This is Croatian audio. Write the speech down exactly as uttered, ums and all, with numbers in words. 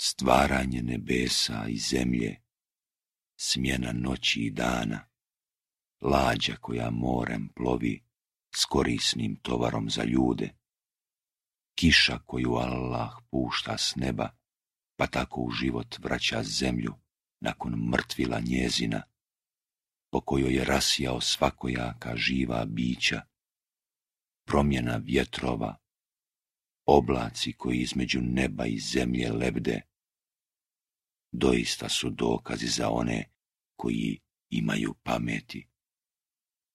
stvaranje nebesa i zemlje, smjena noći i dana, lađa koja morem plovi s korisnim tovarom za ljude, kiša koju Allah pušta s neba, pa tako u život vraća zemlju nakon mrtvila njezina, po kojoj je rasijao svakojaka živa bića, promjena vjetrova, oblaci koji između neba i zemlje lebde, doista su dokazi za one koji imaju pameti.